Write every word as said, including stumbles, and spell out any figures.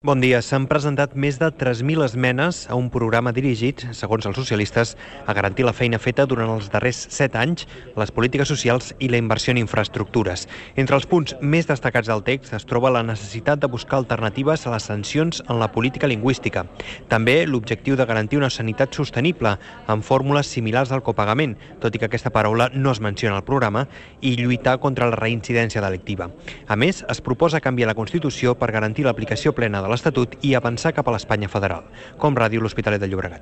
Bon dia. S'han presentat més de tres mil esmenes a un programa dirigit, segons els socialistes, a garantir la feina feta durant els darrers set anys, les polítiques socials i la inversió en infraestructures. Entre els punts més destacats del text es troba la necessitat de buscar alternatives a les sancions en la política lingüística. També l'objectiu de garantir una sanitat sostenible, amb fórmules similars al copagament, tot i que aquesta paraula no es menciona al programa, i lluitar contra la reincidència delictiva. A més, es proposa canviar la Constitució per garantir l'aplicació plena de l'Estatut i avançar cap a l'Espanya federal. Com Ràdio, l'Hospitalet de Llobregat.